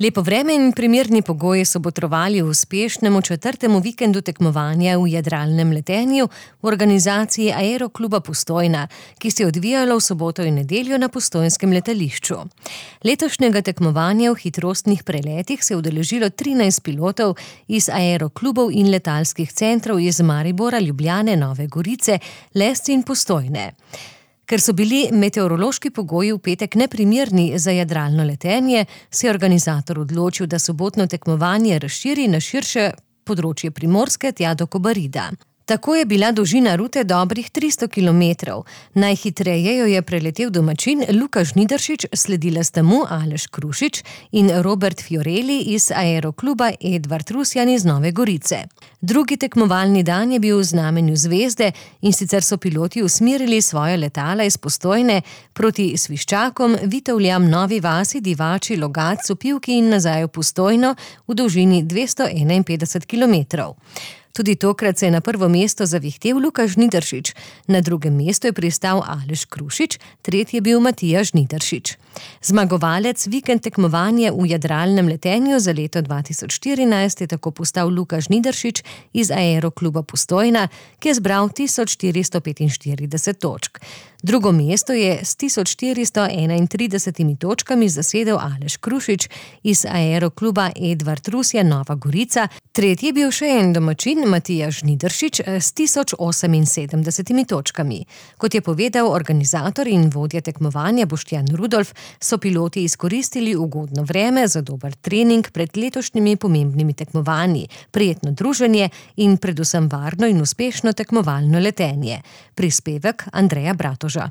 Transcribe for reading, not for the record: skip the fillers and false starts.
Lepo vreme in primerni pogoji so botrovali uspešnemu 4. vikendu tekmovanja v jadralnem letenju v organizaciji Aerokluba Postojna, ki se je odvijalo v soboto in nedeljo na postojnskem letališču. Letošnjega tekmovanja v hitrostnih preletih se je udeležilo 13 pilotov iz aeroklubov in letalskih centrov iz Maribora, Ljubljane, Nove Gorice, Lesce in Postojne. Ker so bili meteorološki pogoji v petek neprimerni za jadralno letenje, se je organizator odločil, da sobotno tekmovanje razširi na širše področje Primorske tja do Kobarida. Tako je bila dolžina rute dobrih 300 kilometrov. Najhitreje jo je preletel domačin Luka Žnidaršič, sledila sta mu Aleš Krušič in Robert Fiorelli iz aerokluba Edvard Rusjan iz Nove Gorice. Drugi tekmovalni dan je bil v znamenju zvezde, in sicer so piloti usmerili svoje letala iz Postojne proti Sviščakom, Vitovljam, Novi vasi, Divači, Logatcu, Pivki in nazaj v Postojno v dolžini 251 kilometrov. Tudi tokrat se je na prvo mesto zavihtel Luka Žnidaršič, na drugem mestu je pristal Aleš Krušič, tretji je bil Matija Žnidaršič. Zmagovalec vikend tekmovanja v jadralnem letenju za leto 2014 je tako postal Luka Žnidaršič iz Aerokluba Postojna, ki je zbral 1445 točk. Drugo mesto je s 1431 točkami zasedel Aleš Krušič iz aerokluba Edvard Rusjan, Nova Gorica, tretji je bil še en domačin Matija Žnidaršič s 1078 točkami. Kot je povedal organizator in vodja tekmovanja Boštjan Rudolf, so piloti izkoristili ugodno vreme za dober trening pred letošnjimi pomembnimi tekmovanji, prijetno druženje in predvsem varno in uspešno tekmovalno letenje. Prispevek Andreja Bratoža.